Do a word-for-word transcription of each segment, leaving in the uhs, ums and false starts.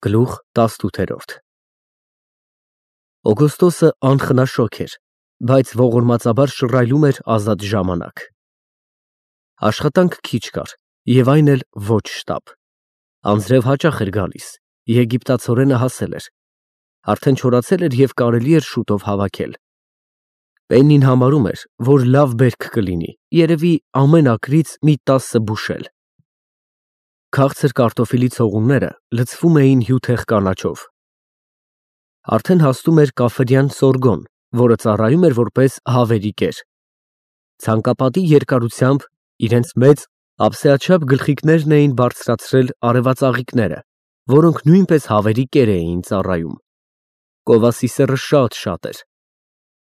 Գլուխ տասնութ Օգոստոսը անխնաշոգ էր, բայց ողորմածաբար շռայլում էր ազատ ժամանակ։ Աշխատանք քիչ կար, և այն էլ ոչ շտապ։ Անձրև հաճախ էր գալիս, եգիպտացորենը հասել էր, արդեն չորացել էր և կարելի էր շուտով հավաքել։ Պեննին համարում էր, որ լավ բերք կլինի, երևի ամեն ակրից մի տասը բուշել։ Քաղցր կարտոֆիլի ցողունները լցվում էին հյութեղ կանաչով։ Արդեն հասնում էր կաֆեդյան Սորգոն, որը ծառայում էր որպես հավերի կեր։ Ցանկապատի երկարությամբ իրենց մեծ ափսեաչափ գլխիկներն էին բարձրացրել արևածաղիկները, որոնք նույնպես հավերի կեր էին ծառայում։ Կովասիսերը շատ-շատ էր։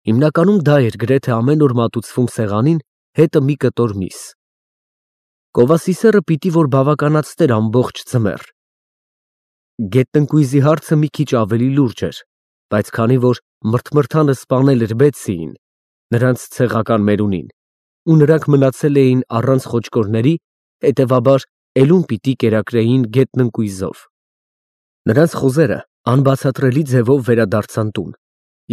Հիմնականում դա էր գրեթե ամեն օր մատուցվում սեղանին, հետը մի կտոր միս։ Կովասիսերը պիտի որ բավականացներ ամբողջ ձմեռ։ Գետնընկույզի հարցը մի քիչ ավելի լուրջ էր, բայց քանի որ մրթմրթանը սպանել էր Բեթսիին, նրանց ցեղական մերունին, ու նրանք մնացել էին առանց խոճկորների, հետևաբար էլում պիտի կերակրեին գետնընկույզով։ Նրանց խոզերը անբացատրելի ձևով վերադարձան տուն,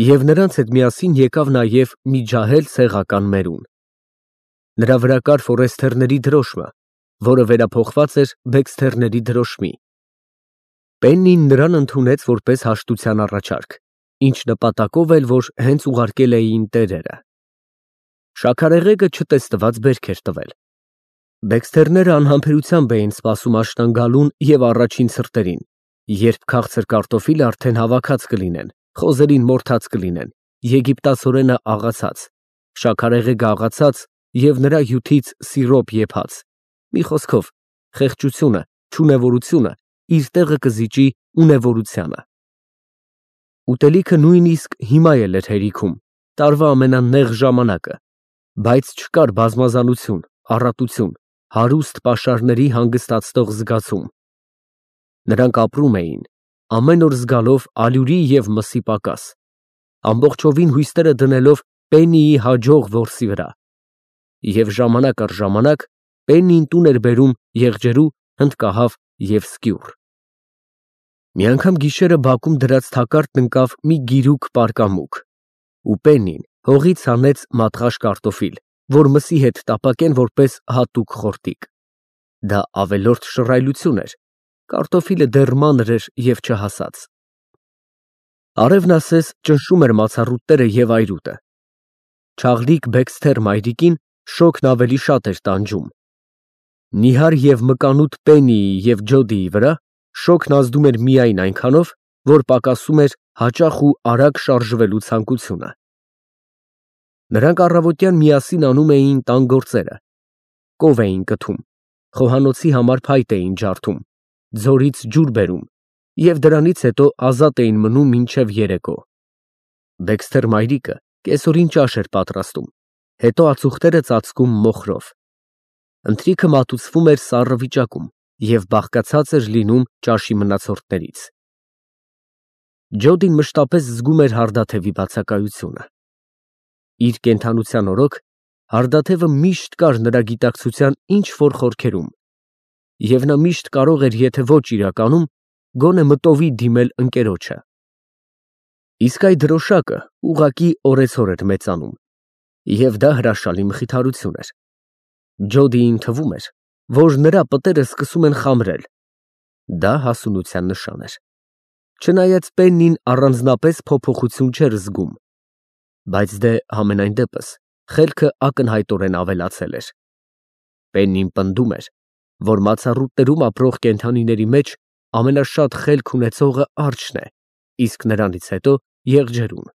և նրանց հետ միասին եկավ նաև մի ջահել ցեղական մերուն։ Նրա վրա կար Ֆորեսթերների դրոշմը, որը վերափոխված էր Բեքսթերների դրոշմի։ Պեննին նրան ընդունեց որպես հաշտության առաջարկ, ինչ նպատակով էլ որ հենց ուղարկել էին տերերը։ Շաքարեղեգը չտեսնված բերք էր տվել։ Բեքսթերները անհամբերությամբ էին սպասում աշնան գալուն և առաջին ցրտերին, երբ քաղցր կարտոֆիլը արդեն հավաքած կլինեն, խոզերին մորթած կլինեն, եգիպտացորենը աղացած, շաքարեղեգը աղացած և նրա հյութից սիրոպ եփած, մի խոսքով, խեղճությունը, չունևորությունը իր տեղը կզիջի ունևորությանը։ Ուտելիքը նույնիսկ հիմա էլ էր հերիքում, տարվա ամենանեղ ժամանակը, բայց չկար բազմազանություն, առատություն, հարուստ պաշարների հանգստացնող զգացում։ Նրանք ապրում էին, ամեն օր զգալով ալյուրի և մսի պակաս, ամբողջովին հույսները դնելով Պեննիի հաջող որսի վրա։ Եվ ժամանակ առ ժամանակ Պեննին տուն էր բերում եղջերու, հնդկահավ և սկյուռ։ Մի անգամ գիշերը բակում դրած թակարդն ընկավ մի գիրուկ պարկամուկ, ու Պեննին հողից հանեց մատղաշ կարտոֆիլ, որ մսի հետ տապակեն որպես հատուկ խորտիկ։ Դա ավելորդ շռայլություն էր, կարտոֆիլը դեռ մանր էր և չհասած։ Արևն ասես ճնշում էր մացառուտները և այրուտը։ Չաղլիկ Բեքսթեր մայրիկին շոգն ավելի շատ էր տանջում։ Նիհար և մկանուտ Պեննիի և Ջոդիի վրա շոգն ազդում էր միայն այնքանով, որ պակասում էր հաճախ ու արագ շարժվելու ցանկությունը։ Նրանք առավոտյան միասին անում էին տան գործերը, կով էին կթում, խոհանոցի համար փայտ էին ջարդում, ձորից ջուր բերում և դրանից հետո ազատ էին մնում մինչև երեկո։ Բեքսթեր մայրիկը կեսօրին ճաշ էր պատրաստում, հետո ածուխները ծածկում մոխրով։ Ընթրիքը մատուցվում էր սառը վիճակում և բաղկացած էր լինում ճաշի մնացորդներից։ Ջոդին մշտապես զգում էր հարդաթևի բացակայությունը։ Իր կենդանության օրոք հարդաթևը միշտ կար նրա գիտակցության ինչ֊որ խորքերում, և նա միշտ կարող էր եթե ոչ իրականում, գոնե մտովի դիմել ընկերոջը։ Իսկ այ դրոշակը ուղղակի օրեցօր էր մեծանում, և դա հրաշալի մխիթարություն էր։ Ջոդիին թվում էր, որ նրա պտերը սկսում են խամրել։ Դա հասունության նշան էր։ Չնայած Պեննին առանձնապես փոփոխություն չէր զգում, բայց դե համենայն դեպս խելքը ակնհայտորեն ավելացել էր։ Պեննին պնդում էր, որ մացառուտներում ապրող կենդանիների մեջ ամենաշատ խելք ունեցողը արջն է, իսկ նրանից հետո եղջերուն։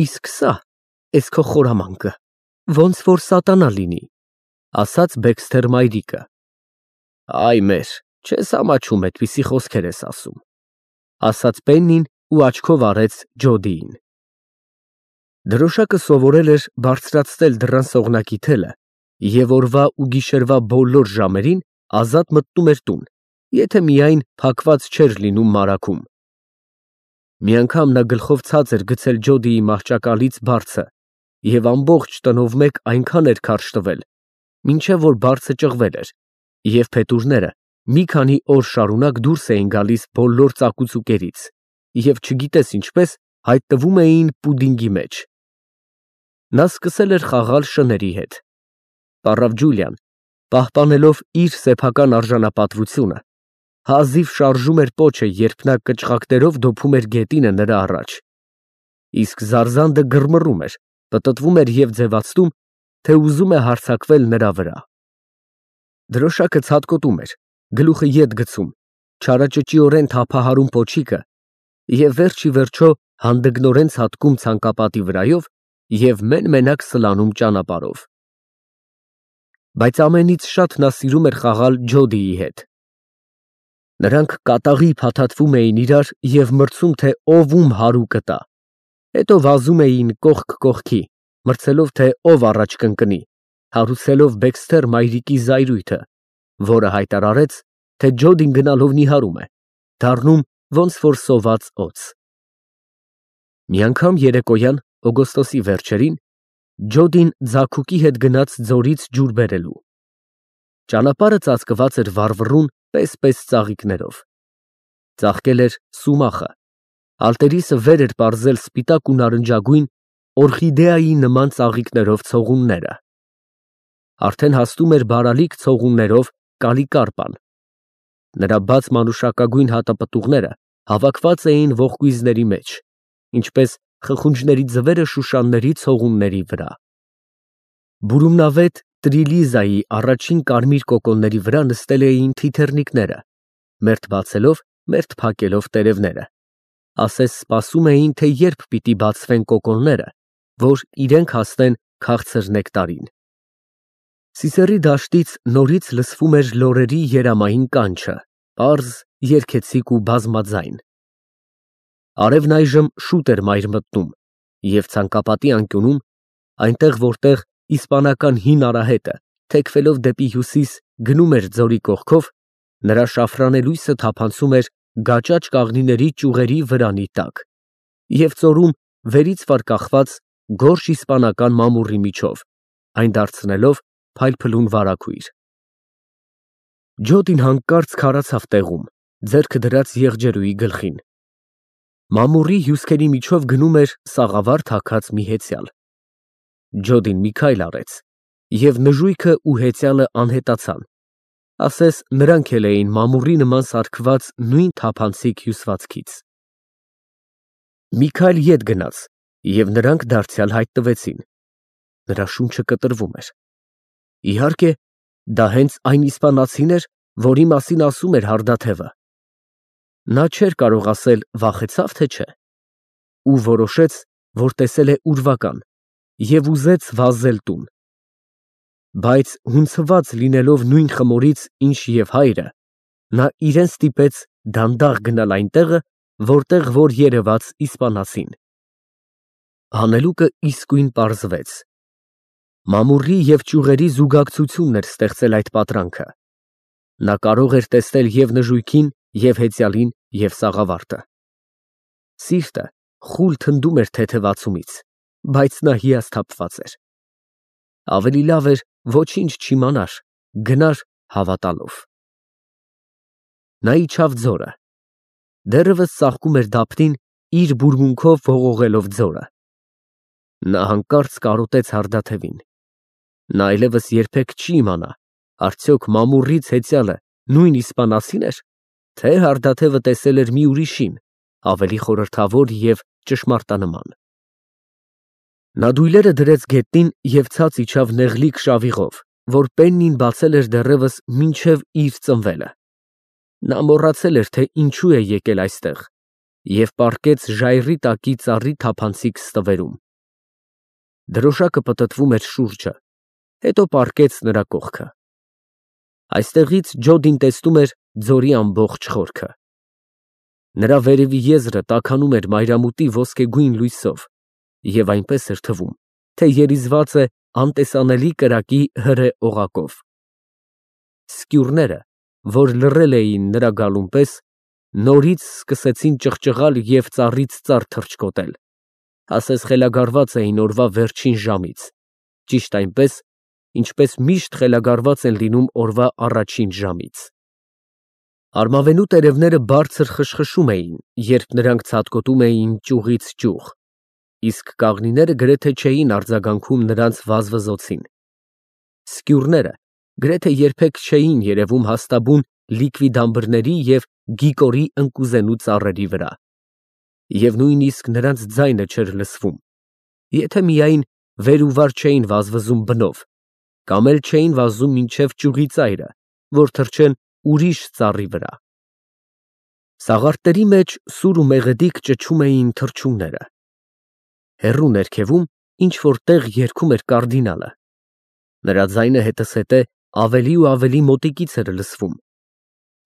Իսկ սա, էս քո խորամանկը, ոնց որ սատանա լինի, ասաց Բեքսթեր մայրիկը։ Այ մեր, չես ամաչում էդպիսի խոսքեր ես ասում, ասաց Պեննին ու աչքով արեց Ջոդիին։ Դրոշակը սովորել էր բարձրացնել դռան սողնակի թելը և օրվա ու գիշերվա բոլոր ժամերին ազատ մտնում էր տուն, եթե միայն փակված չէր լինում մարագում։ Մի անգամ նա գլխով ցած էր գցել Ջոդիի մահճակալից բարձը և ամբողջ տնով մեկ այնքան էր քարշ տվել, մինչև որ բարձը ճղվել էր, և փետուրները մի քանի օր շարունակ դուրս էին գալիս բոլոր ծակուցուկերից և չգիտես ինչպես հայտնվում էին պուդինգի մեջ։ Նա սկսել էր խաղալ շների հետ։ Պառավ Ջուլիան, պահպանելով իր սեփական արժանապատվությունը, հազիվ շարժում էր պոչը, երբ նա կչղակներով դոփում էր գետինը նրա առաջ, իսկ Զարզանդը գրմռում էր, պտտվում էր և ձևացնում, թե ուզում է հարձակվել նրա վրա։ Դրոշակը ցատկոտում էր, գլուխը ետ գցում, չարաճճիորեն թափահարում պոչիկը և վերջ ի վերջո հանդգնորեն ցատկում ցանկապատի վրայով և մեն֊մենակ սլանում ճանապարհով։ Բայց ամենից շատ նա սիրում էր խաղալ Ջոդիի հետ։ Նրանք կատաղի փաթաթվում էին իրար և մրցում, թե ով ում հարուկը տա, հետո վազում էին կողք կողքի, մրցելով, թե ով առաջ կընկնի, հարուցելով Բեքսթեր մայրիկի զայրույթը, որը հայտարարեց, թե Ջոդին գնալով նիհարում է, դառնում ոնց որ սոված օձ։ Մի անգամ երեկոյան, օգոստոսի վերջերին, Ջոդին ձագուկի հետ գնաց ձորից ջուր բերելու։ Ճանապարհը ծածկված էր վառվռուն պես֊պես ծաղիկներով։ Ծաղկել էր սումախը, ալտերիսը վեր էր պարզել սպիտակ ու նարնջագույն, օրխիդեայի նման ծաղիկներով ցողունները։ Արդեն հասնում էր բարալիկ ցողուններով Կալիկարպան։ Նրա բաց մանուշակագույն հատապտուղները հավաքված էին ողկույզների մեջ, ինչպես խխունջների ձվերը շուշանների ցողունների վրա։ Բուրումնավետ Տրիլիզայի առաջին կարմիր կոկոնների վրա նստել էին թիթեռնիկները, մերթ բացելով, մերթ փակելով տերևները, ասես սպասում էին, թե երբ պիտի բացվեն կոկոնները, որ իրենք հասնեն քաղցր նեկտարին։ Սիսեռի դաշտից նորից լսվում էր լորերի երամային կանչը, պարզ, երգեցիկ ու բազմաձայն։ Արևն այժմ շուտ էր մայր մտնում, և ցանկապատի անկյունում, այնտեղ, որտեղ իսպանական հին արահետը, թեքվելով դեպի հյուսիս, գնում էր ձորի կողքով, նրա շաֆրանելույսը թափանցում էր գաճաճ կաղնիների ճյուղերի վրանի տակ և ծորում վերից վար կախված գորշ իսպանական մամուռի միջով, այն դարձնելով փայլփլուն վարագույր։ Ջոդին հանկարծ քարացավ տեղում, ձեռքը դրած եղջերուի գլխին։ Մամուռի հյուսքերի միջով գնում էր սաղավարտ հագած մի հեծյալ։ Ջոդին մի քայլ արեց, և նժույգը ու հեծյալը անհետացան, ասես նրանք էլ էին մամուռի նման սարքված նույն թափանցիկ հյուսվածքից։ Մի քայլ ետ գնաց, և նրանք դարձյալ հայտնվեցին։ Նրա շունչը կտրվում էր։ Իհարկե, դա հենց այն իսպանացին էր, որի մասին ասում էր հարդաթևը։ Նա չէր կարող ասել վախեցա՞վ, թե չէ, ու որոշեց, որ տեսել է ուրվական, և ուզեց վազել տուն։ Բայց հունցված լինելով նույն խմորից, ինչ և հայրը, նա իրեն ստիպեց դանդաղ գնալ այնտեղը, որտեղ որ երևաց իսպանացին։ Հանելուկը իսկույն պարզվեց։ Մամուռի և ճյուղերի զուգակցությունն էր ստեղծել այդ պատրանքը։ Նա կարող էր տեսնել և նժույգին, և հեծյալին, և սաղավարտը։ Սիրտը խուլ թնդում էր թեթևացումից, բայց նա հիասթափված էր։ Ավելի լավ էր ոչինչ չիմանար, գնար հավատալով։ Նա իջավ ձորը։ Դեռևս ծաղկում էր դափնին, իր բուրմունքով ողողելով ձորը։ Նա հանկարծ կարոտեց հարդաթևին։ Նա այլևս երբեք չի իմանա, արդյոք մամուռից հեծյալը նույն իսպանացի՞ն էր, թե հարդաթևը տեսել էր մի ուրիշին, ավելի խորհրդավոր և ճշմարտանման։ Նա դույլերը դրեց գետնին և ցած իջավ նեղլիկ շավիղով, որ Պեննին բացել էր դեռևս մինչև իր ծնվելը։ Նա մոռացել էր, թե ինչու է եկել այստեղ, և պառկեց ժայռի տակի ծառի թափանցիկ ստվերում։ Դրոշակը պտտվում էր շուրջը, հետո պառկեց նրա կողքը։ Այստեղից Ջոդին տեսնում էր ձորի ամբողջ խորքը։ Նրա վերևի եզրը տաքանում էր մայրամուտի ոսկեգույն լույսով և այնպես էր թվում, թե երիզված է անտեսանելի կրակի հրե օղակով։ Սկյուրները, որ լռել էին նրա գալուն պես, նորից սկսեցին ճղճղալ և ծառից ծառ թռչկոտել, ասես խելագարված էին օրվա վերջին ժամից, ճիշտ այնպես, ինչպես միշտ խելագարված են լինում օրվա առաջին ժամից։ Արմավենու տերևները բարձր խշխշում էին, երբ նրանք ցատկոտում էին ճյուղից ճյուղ, իսկ կաղնիները գրեթե չէին արձագանքում նրանց վազվզոցին։ Սկյուռները գրեթե երբեք չէին երևում հաստաբուն լիկվի դամբրների և գիկորի ընկուզենու ծառերի վրա, և նույնիսկ նրանց ձայնը չէր լսվում, եթե միայն վեր ու վար չէին վազվզում բնով, կամ էլ չէին վազում մինչև ճյուղի ծայրը, որ թռչեն ուրիշ ծառի վրա։ Սաղարթների մեջ սուր ու մեղեդիկ ճչում էին թռչունները։ Հեռու ներքևում ինչ֊որ տեղ երգում էր կարդինալը։ Նրա ձայնը հետզհետե ավելի ու ավելի մոտիկից էր լսվում,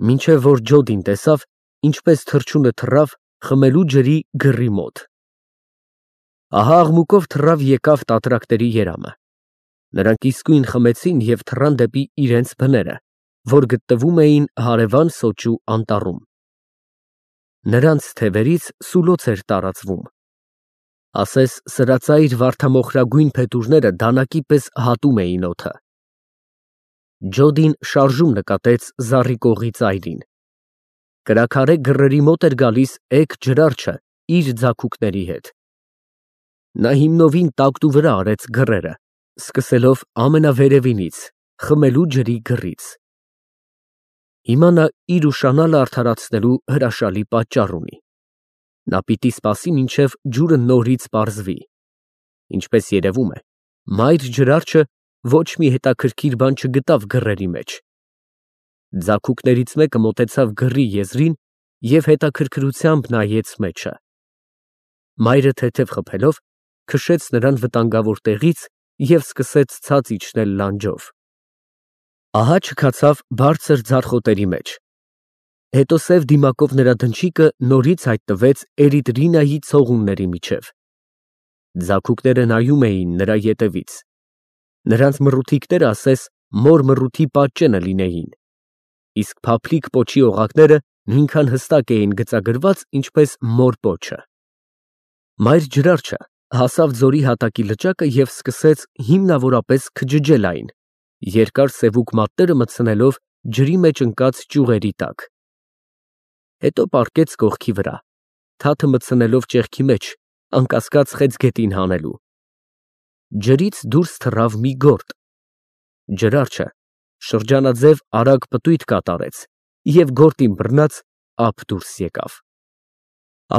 մինչև որ Ջոդին տեսավ, ինչպես թռչունը թռավ խմելու ջրի գռի մոտ։ Ահա աղմուկով թռավ եկավ տատրակների երամը։ Նրանք իսկույն խմեցին և թռան դեպի իրենց բները, որ գտնվում էին հարևան սոճու անտառում։ Նրանց թևերից սուլոց էր տարածվում, ասես սրածայր վարդամոխրագույն փետուրները դանակի պես հատում էին օդը։ Ջոդին շարժում նկատեց զառիկողի ծայրին։ Կրաքարե գռերի մոտ էր գալիս էգ ջրարջը իր ձագուկների հետ։ Նա հիմնովին տակտու վրա արեց գռերը, սկսելով ամենավերևինից, խմելու ջրի գռից։ Հիմա նա իր ուշանալը արդարացնելու հրաշալի պատճառ ունի։ Նա պիտի սպասի, մինչև ջուրը նորից պարզվի։ Ինչպես երևում է, մայր ջրարջը ոչ մի հետաքրքիր բան չգտավ գռերի մեջ։ Ձագուկներից մեկը մոտեցավ գռի եզրին և հետաքրքրությամբ նայեց մեջը։ Մայրը թեթև խփելով, քշեց նրան վտանգավոր տեղից և սկսեց ցած իջնել լանջով։ Ահա չքացավ բարձր ձարխոտերի մեջ։ Հետո սև դիմակով նրա դնչիկը նորից հայտնվեց Էրիտրինայի ցողունների միջև։ Ձագուկները նայում էին նրա ետևից։ Նրանց մռութիքները ասես մոր մռութի պատճենը լինեին, իսկ փափլիկ պոչի օղակները նույնքան հստակ էին գծագրված, ինչպես մոր պոչը։ Մայր ջրարջը հասավ ձորի հատակի լճակը և սկսեց հիմնավորապես քջջել այն, երկար սևուկ մատները մտցնելով ջրի մեջ ընկած ճյուղերի տակ։ Հետո պառկեց կողքի վրա, թաթը մտցնելով ճեղքի մեջ, անկասկած խեցգետին հանելու։ Ջրից դուրս թռավ մի գորտ։ Ջրարջը շրջանաձև արագ պտույտ կատարեց և գորտին բռնած ափ դուրս եկավ։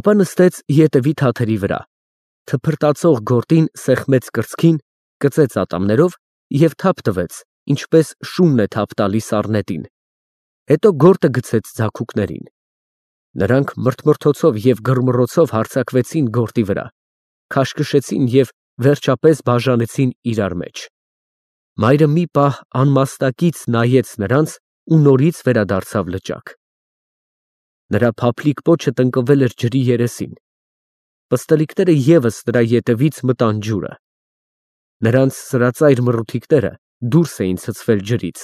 Ապա նստեց ետևի թաթերի վրա, թփրտացող գորտին սեղմեց կրծքին, կծեց ատամներով և թափ տվեց, ինչպես շունն է թափ տալիս առնետին, հետո գորտը գցեց ձագուկներին։ Նրանք մրթմրթոցով և գռմռոցով հարձակվեցին գորտի վրա, քաշքշեցին և վերջապես բաժանեցին իրար մեջ։ Մայրը մի պահ անմաստակից նայեց նրանց ու նորից վերադարձավ լճակ։ Նրա փափլիկ պոչը տնկվել էր ջրի երեսին։ Պստլիկները ևս նրա ետևից մտան ջուրը։ Նրանց սրածայր մռութիքները դուրս էին ցցվել ջրից։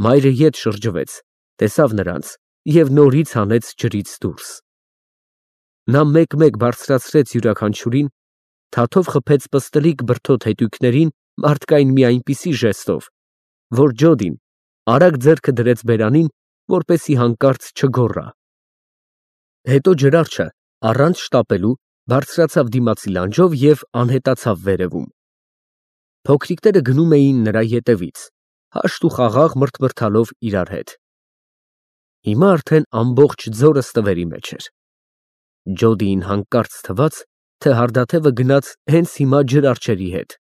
Մայրը ետ շրջվեց, տեսավ նրանց և նորից հանեց ջրից դուրս։ Նա մեկ֊մեկ բարձրացրեց յուրաքանչյուրին, թաթով խփեց պստլիկ բրդոտ հետույքներին մարդկային մի այնպիսի ժեստով, որ Ջոդին արագ ձեռքը դրեց բերանին, որպեսզի հանկարծ չգոռա։ Հետո ջրարջը առանց շտապելու բարձրացավ դիմացի լանջով և անհետացավ վերևում։ Փոքրիկները գնում էին նրա ետևից, հաշտ ու խաղաղ մրթմրթալով իրար հետ։ Հիմա արդեն ամբողջ ձորը ստվերի մեջ էր։ Ջոդիին հանկարծ թվաց, թե հարդաթևը գնաց հենց հիմա ջրարջերի հետ։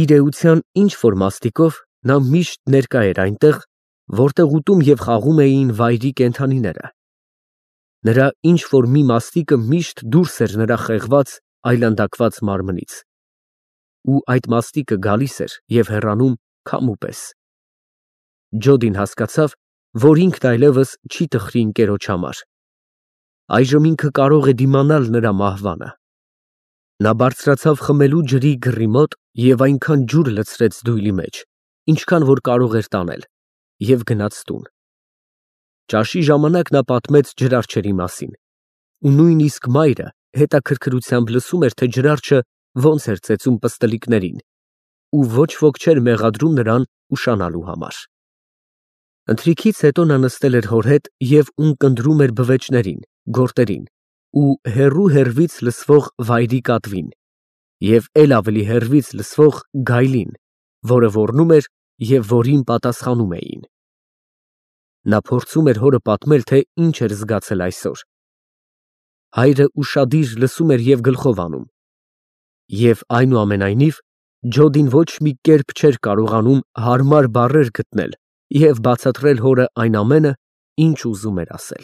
Իր էության ինչ֊որ մաստիկով նա միշտ ներկա էր այնտեղ, որտեղ ուտում և խաղում էին վայրի կենդանիները։ Նրա ինչ֊որ մի մաստիկը միշտ դուրս էր նրա խեղված, այլանդակված մարմնից։ Ու այդ մաստիկը գալիս էր և հեռանում քամու պես։ Ջոդին հասկացավ, որ ինքն այլևս չի տխրի ընկերոջ համար։ Այժմ ինքը կարող է դիմանալ նրա մահվանը։ Նա բարձրացավ խմելու ջրի գռի մոտ և այնքան ջուր լցրեց դույլի մեջ, ինչքան որ կարող էր տանել, և գնաց տուն։ Ճաշի ժամանակ նա պատմեց ջրարջերի մասին, ու նույնիսկ մայրը հետաքրքրությամբ լսում էր, թե ջրարջը ոնց էր ծեծում պստլիկներին, ու ոչ ոք չէր մեղադրում նրան ուշանալու համար։ Ընթրիքից հետո նա նստել էր հոր հետ և ունկնդրում էր բվեճներին, գորտերին ու հեռու հեռվից լսվող վայրի կատվին և էլ ավելի հեռվից լսվող գայլին, որը ոռնում էր և որին պատասխանում էին։ Նա փորձում էր հորը պատմել, թե ինչ էր զգացել այսօր։ Հայրը ուշադիր լսում էր և գլխով անում։ Եվ, այնուամենայնիվ, Ջոդին ոչ մի կերպ չէր կարողանում հարմար բառեր գտնել և բացատրել հորը այն ամենը, ինչ ուզում էր ասել։